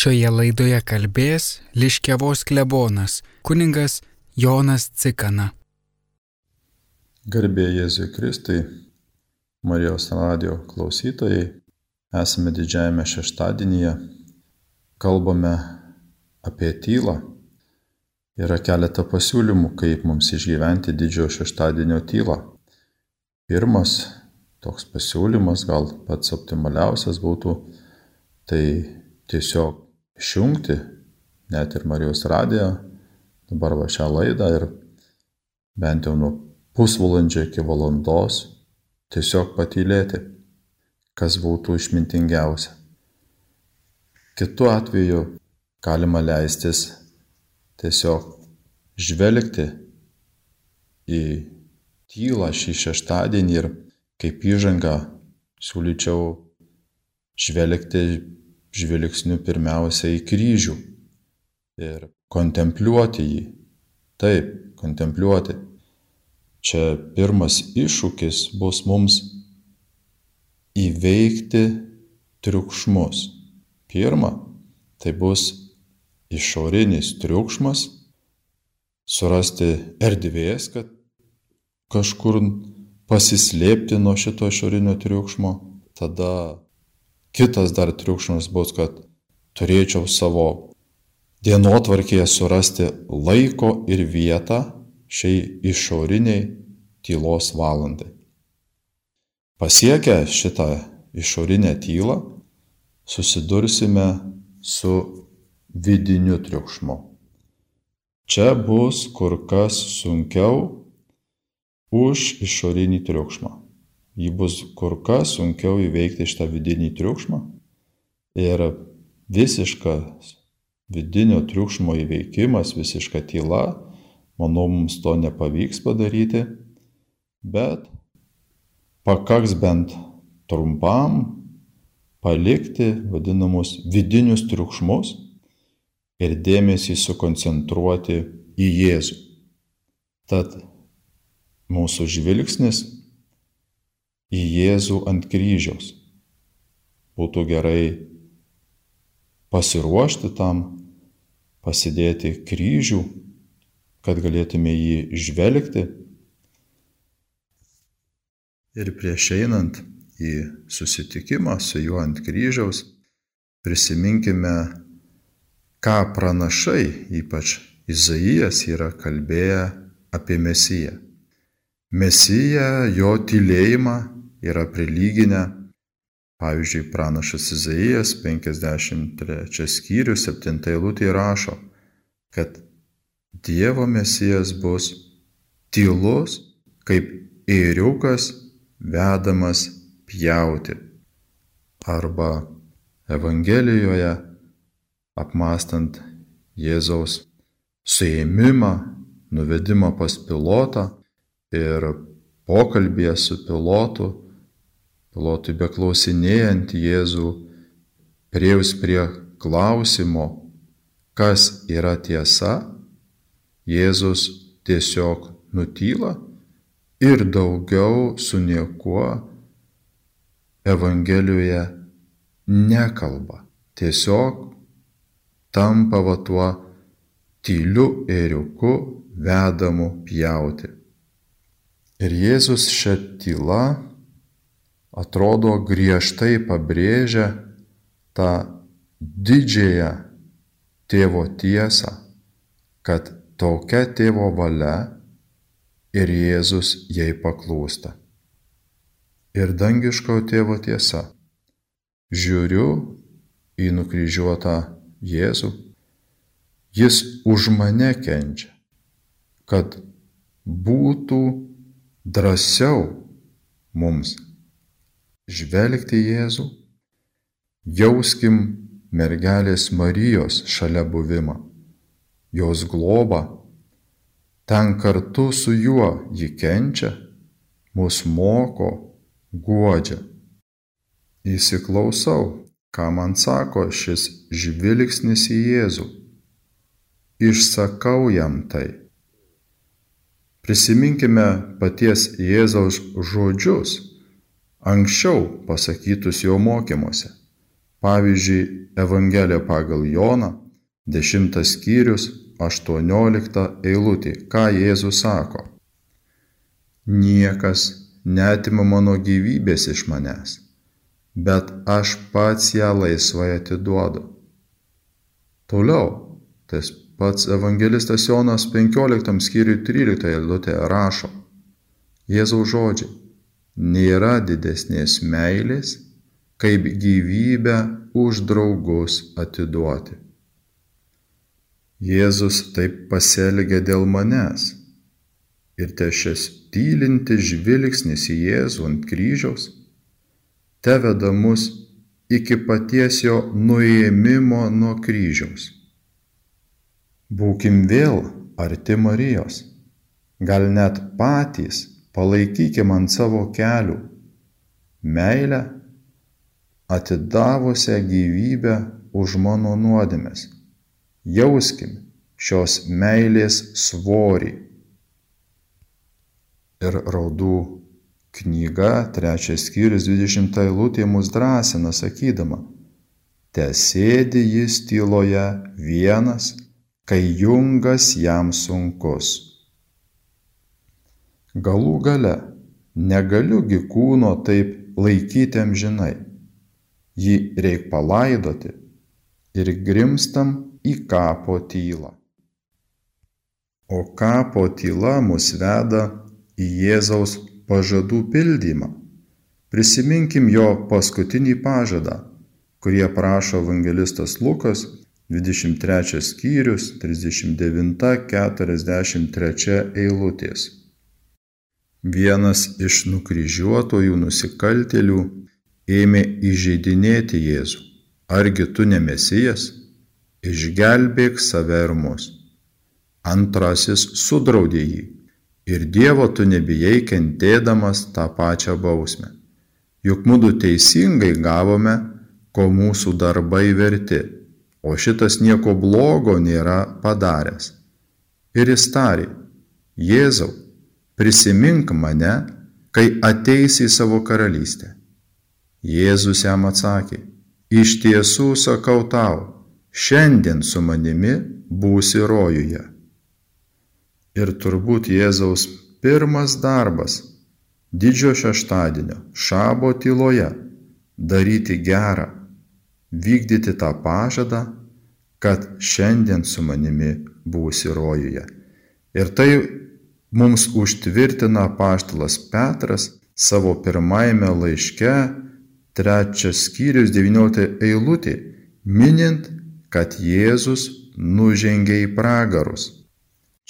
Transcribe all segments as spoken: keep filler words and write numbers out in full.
Šioje laidoje kalbės Liškiavos klebonas, kunigas Jonas Cikana. Garbė Jėzui Kristui, Marijos radijo klausytojai, esame didžiajame šeštadienyje, kalbame apie tylą. Yra keletą pasiūlymų, kaip mums išgyventi didžiojo šeštadienio tylą. Pirmas toks pasiūlymas, gal pats optimaliausias būtų, tai tiesiog išjungti net ir Marijos radiją, dabar va šią laidą ir bent jau nuo pusvalandžio iki valandos tiesiog patylėti, kas būtų išmintingiausia. Kitu atveju galima leistis tiesiog žvelgti į tylą šį šeštadienį ir kaip įžangą siūlyčiau žvelgti žvilgsniu pirmiausia į kryžių ir kontempliuoti jį. Taip, kontempliuoti. Čia pirmas iššūkis bus mums įveikti triukšmus. Pirma, tai bus išorinis triukšmas, surasti erdvės, kad kažkur pasislėpti nuo šito išorinio triukšmo. Tada kitas dar triukšmas bus, kad turėčiau savo dienotvarkėje surasti laiko ir vietą šiai išoriniai tylos valandai. Pasiekę šitą išorinę tylą, susidursime su vidiniu triukšmu. Čia bus kur kas sunkiau už išorinį triukšmą. Jį bus kur kas sunkiau įveikti šitą vidinį triukšmą ir visiškas vidinio triukšmo įveikimas, visiška tyla, manau, mums to nepavyks padaryti, bet pakaks bent trumpam palikti vadinamus vidinius triukšmus ir dėmesį sukoncentruoti į Jėzų. Tad mūsų žvilgsnis į Jėzų ant kryžiaus. Būtų gerai pasiruošti tam, pasidėti kryžių, kad galėtume jį žvelgti. Ir prieš einant į susitikimą su juo ant kryžiaus, prisiminkime, ką pranašai, ypač Izaijas, yra kalbėję apie Mesiją. Mesiją, jo tylėjimą yra prilyginę, pavyzdžiui, pranašas Izaijas, penkiasdešimt trečias skyrius, septinta eilutė rašo, kad Dievo Mesijas bus tylus, kaip ėriukas vedamas pjauti. Arba Evangelijoje, apmąstant Jėzaus suėmimą, nuvedimą pas Pilotą ir pokalbėje su Pilotu, Pilotui beklausinėjant Jėzų, priėjus prie klausimo, kas yra tiesa, Jėzus tiesiog nutyla ir daugiau su niekuo Evangelijoje nekalba. Tiesiog tampa va tuo tyliu ėriuku vedamu pjauti. Ir Jėzus šią tylą atrodo griežtai pabrėžia tą didžiąją tėvo tiesą, kad tokia tėvo valia ir Jėzus jai paklūsta. Ir dangiško tėvo tiesa. Žiūriu į nukryžiuotą Jėzų, jis už mane kenčia, kad būtų drąsiau mums žvelgti Jėzų, jauskim mergelės Marijos šalia buvimą, jos globą, ten kartu su juo ji kenčia, mus moko, guodžia. Įsiklausau, ką man sako šis žvilgsnis į Jėzų. Išsakau jam tai. Prisiminkime paties Jėzaus žodžius, anksčiau pasakytus jo mokymuose. Pavyzdžiui, Evangelija pagal Joną, dešimtas skyrius, aštuoniolikta eilutė, ką Jėzus sako. Niekas neatima mano gyvybės iš manęs, bet aš pats ją laisvai atiduodu. Toliau, tas pats evangelistas Jonas penkioliktam skyriui tryliktoje eilutėje rašo, Jėzaus žodžiai, nėra didesnės meilės, kaip gyvybę už draugus atiduoti. Jėzus taip pasielgė dėl manęs ir te šis tylintis žvilgsnis į Jėzų ant kryžiaus teveda mus iki paties jo nuėmimo nuo kryžiaus. Būkim vėl arti Marijos, gal net patys palaikykim ant savo kelių meilę, atidavusią gyvybę už mano nuodėmes. Jauskim šios meilės svorį. Ir Raudų knyga, trečias skyrius, dvidešimta eilutė mus drąsina, sakydama, tesėdi jis tyloje vienas, kai jungas jam sunkus. Galų gale, negaliugi kūno taip laikyti amžinai, jį reik palaidoti ir grimstam į kapo tylą. O kapo tyla mus veda į Jėzaus pažadų pildymą. Prisiminkim jo paskutinį pažadą, kurį aprašo evangelistas Lukas, dvidešimt trečias skyrius, trisdešimt devinta keturiasdešimt trečia eilutės. Vienas iš nukryžiuotojų nusikaltėlių ėmė įžeidinėti Jėzų. Argi tu ne Mesijas? Išgelbėk save ir mus. Antrasis sudraudė jį. Ir Dievo tu nebijai kentėdamas tą pačią bausmę. Juk mudu teisingai gavome, ko mūsų darbai verti, o šitas nieko blogo nėra padaręs. Ir jis tarė, Jėzau, prisimink mane, kai ateisi į savo karalystę. Jėzus jam atsakė, iš tiesų sakau tau, šiandien su manimi būsi rojuje. Ir turbūt Jėzaus pirmas darbas didžio šeštadienio šabo tyloje daryti gerą, vykdyti tą pažadą, kad šiandien su manimi būsi rojuje. Ir tai mums užtvirtina apaštalas Petras savo pirmajame laiške, trečias skyrius, devyniolikta eilutė, minint, kad Jėzus nužengė į pragarus.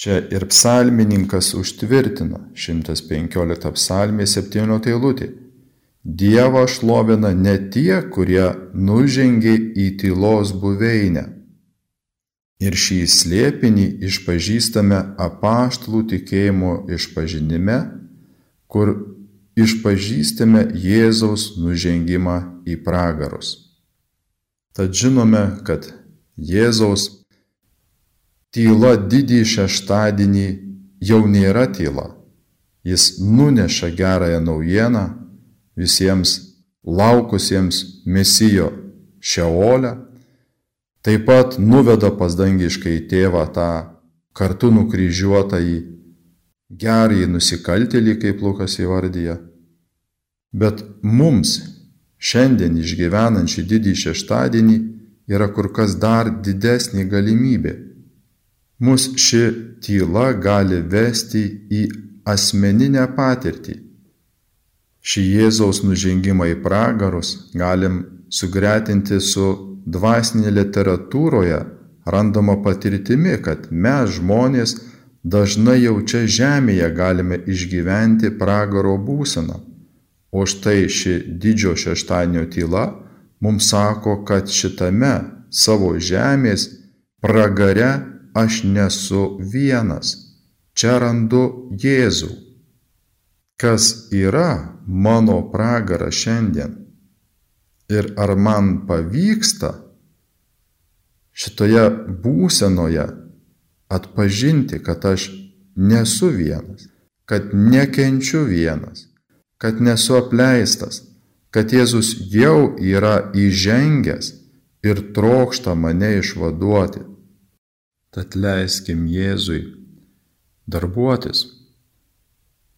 Čia ir psalmininkas užtvirtina, šimtas penkiolikta psalmė, septyniolikta eilutė. Dievą šlovina ne tie, kurie nužengė į tylos buveinę. Ir šį slėpinį išpažįstame apaštalų tikėjimo išpažinime, kur išpažįstame Jėzaus nužengimą į pragarus. Tad žinome, kad Jėzaus tyla didįjį šeštadienį jau nėra tyla. Jis nuneša gerąją naujieną visiems laukusiems Mesijo Šeolę, taip pat nuveda pas dangiškai tėvą tą kartu nukryžiuotąjį gerąjį nusikaltėlį, kaip Lukas įvardyja. Bet mums šiandien išgyvenančių didįjį šeštadienį yra kur kas dar didesnė galimybė. Mus ši tyla gali vesti į asmeninę patirtį. Šį Jėzaus nužengimą į pragarus galim sugretinti su dvasinėje literatūroje randama patirtimi, kad mes žmonės dažnai jau čia žemėje galime išgyventi pragaro būseną. O štai ši didžio šeštadienio tyla mums sako, kad šitame savo žemės pragare aš nesu vienas. Čia randu Jėzų. Kas yra mano pragaras šiandien? Ir ar man pavyksta šitoje būsenoje atpažinti, kad aš nesu vienas, kad nekenčiu vienas, kad nesu apleistas, kad Jėzus jau yra įžengęs ir trokšta mane išvaduoti. Tad leiskim Jėzui darbuotis,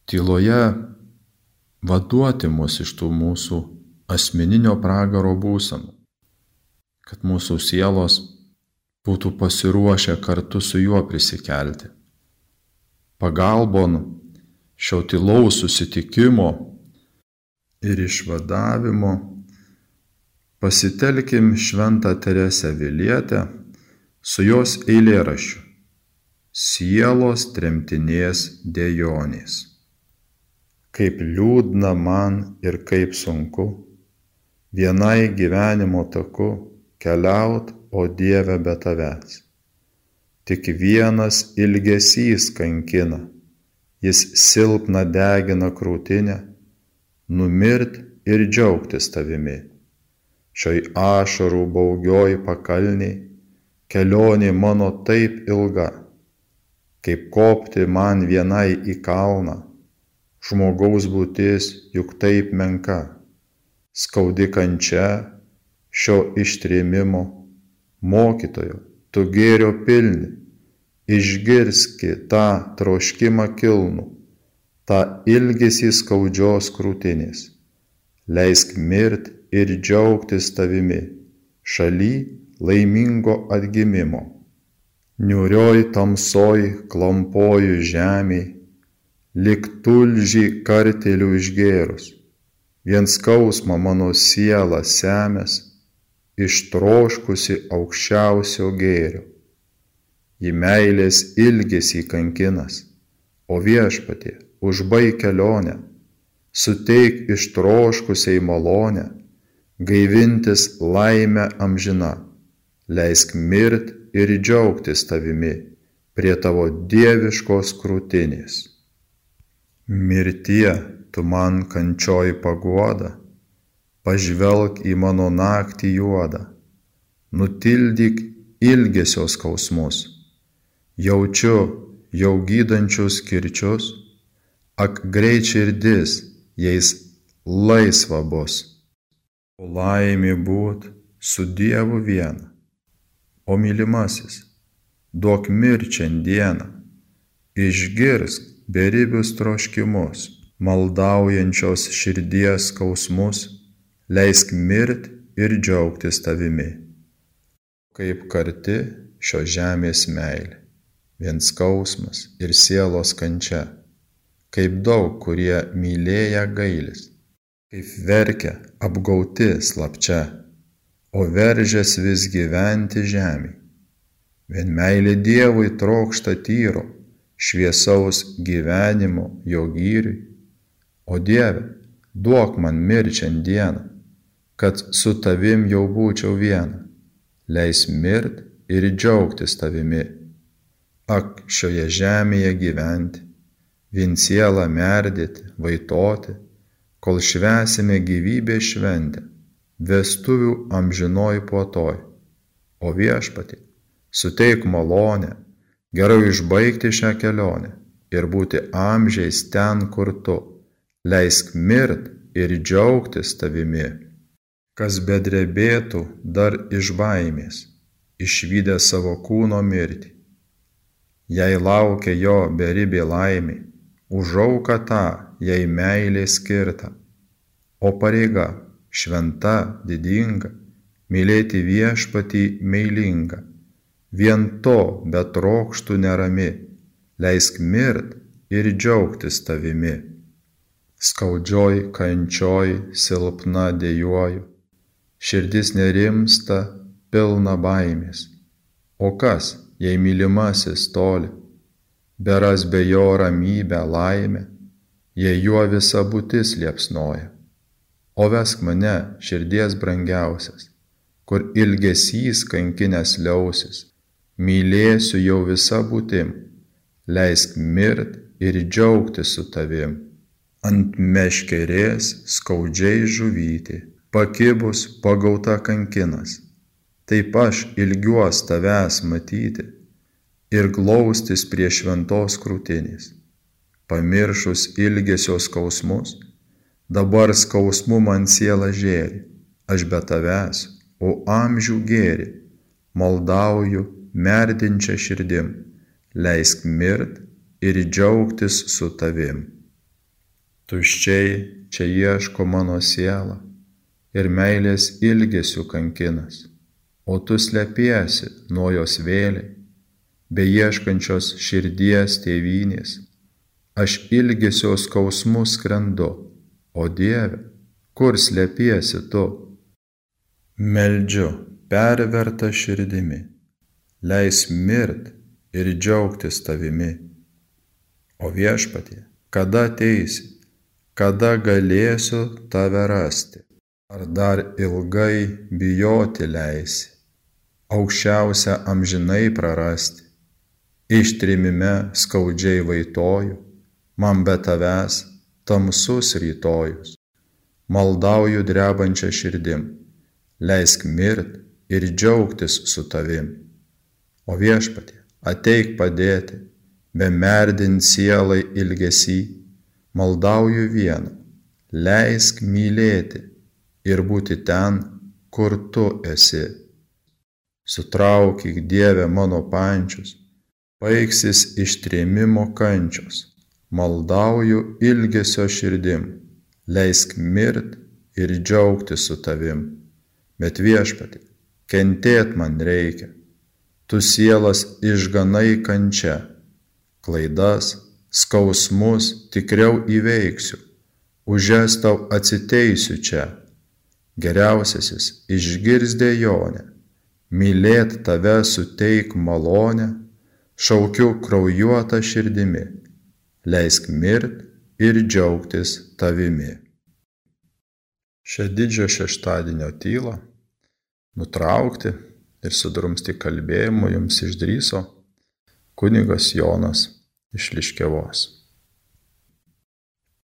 tyloje vaduoti mus iš tų mūsų asmeninio pragaro būsenų, kad mūsų sielos būtų pasiruošę kartu su juo prisikelti. Pagalbon šio tylaus susitikimo ir išvadavimo pasitelkim Šventą Teresę Avilietę su jos eilėraščiu Sielos tremtinės dejonės. Kaip liūdna man ir kaip sunku vienai gyvenimo taku keliaut, o Dieve, be tavęs. Tik vienas ilgesys kankina, jis silpna degina krūtinę, numirt ir džiaugtis tavimi. Šioj ašarų baugioj pakalniai kelionė mano taip ilga, kaip kopti man vienai į kalną, žmogaus būtis juk taip menka, skaudi kančia šio ištrėmimo, mokytojo, tu gėrio pilni, išgirski tą troškimą kilnų, tą ilgesį skaudžios krūtinės, leisk mirt ir džiaugtis tavimi, šaly laimingo atgimimo. Niūrioj tamsoj klampoju žemėj, lyg tulžį kartėlių išgėrus, vien skausmą mano siela semės, ištroškusi aukščiausio gėrio. Į meilės ilgesį kankinas, o Viešpatie, užbaik kelionę, suteik ištroškusiai malonę, gaivintis laimę amžiną, leisk mirt ir džiaugtis tavimi prie tavo dieviškos krūtinės. Mirtie, tu man kančioj paguoda, pažvelk į mano naktį juodą, nutildyk ilgesio skausmus, jaučiu jau gydančius kirčius, ak greit širdis jais laisva bus. O laimė būt su Dievu viena, o mylimasis, duok mirt šiandieną, išgirsk beribius troškimus, maldaujančios širdies skausmus, leisk mirt ir džiaugtis tavimi. Kaip karti šio žemės meilė, vien skausmas ir sielos kančia, kaip daug, kurie mylėję gailis, kaip verkia apgauti slapčia, o veržės vis gyventi žemėj. Vien meilė Dievui trokšta tyro, šviesaus gyvenimo jo gyriui, o Dieve, duok man mirt šiandieną, kad su tavim jau būčiau viena, leis mirt ir džiaugtis tavimi. Ak, šioje žemėje gyventi, vien sielą merdėti, vaitoti, kol švęsime gyvybės šventę, vestuvių amžinoj puotoj. O Viešpatie, suteik malonę, gerai išbaigti šią kelionę ir būti amžiais ten, kur tu, leisk mirt ir džiaugtis tavimi. Kas bedrebėtų dar iš baimės, išvydę savo kūno mirtį. Jei laukia jo beribė laimė, už auką tą jai meilė skirta, o pareiga šventa, didinga, mylėti Viešpatį meilingą. Vien to betrokštų nerami, leisk mirt ir džiaugtis tavimi. Skaudžioj kančioj silpna dejuoju, širdis nerimsta, pilna baimės. O kas, jei mylimasis toli, beras be jo ramybę laimę, jei juo visa būtis liepsnoja. O vesk mane, širdies brangiausias, kur ilgesys kankinės liausis, mylėsiu jau visa būtim, leisk mirt ir džiaugtis su tavim. Ant meškerės skaudžiai žuvyti, pakibus pagauta kankinas, taip aš ilgiuos tavęs matyti ir glaustis prie šventos krūtinės. Pamiršus ilgesio skausmus, dabar skausmu man siela žėri, aš be tavęs, o amžių gėri, maldauju merdinčia širdim, leisk mirt ir džiaugtis su tavim. Tuščiai čia ieško mano siela ir meilės ilgesių kankinas, o tu slepiesi nuo jos vėliai, beieškančios širdies tėvynės. Aš ilgesio skausmu skrendu, o Dieve, kur slepiesi tu? Meldžiu perverta širdimi, leis mirt ir džiaugtis tavimi. O Viešpatie, kada ateisi, kada galėsiu tave rasti? Ar dar ilgai bijoti leisi, aukščiausią amžinai prarasti? Ištrimime skaudžiai vaitoju, man be tavęs tamsus rytojus. Maldauju drebančią širdim, leisk mirt ir džiaugtis su tavim. O Viešpatie, ateik padėti, bemerdint sielai ilgesį, maldauju vieną, leisk mylėti ir būti ten, kur tu esi. Sutraukyk, Dieve, mano pančius, baigsis ištrėmimo kančios. Maldauju ilgesio širdim, leisk mirt ir džiaugtis su tavim. Bet Viešpatie, kentėt man reikia, tu sielas išganai kančia, klaidas, skausmus tikriau įveiksiu, už jas tau atsiteisiu čia. Geriausiasis išgirs dejonę, mylėt tave suteik malonę, šaukiu kraujuotą širdimi, leisk mirt ir džiaugtis tavimi. Šią didžio šeštadienio tylą nutraukti ir sudrumsti kalbėjimu jums išdrįso kunigas Jonas iš Liškiavos.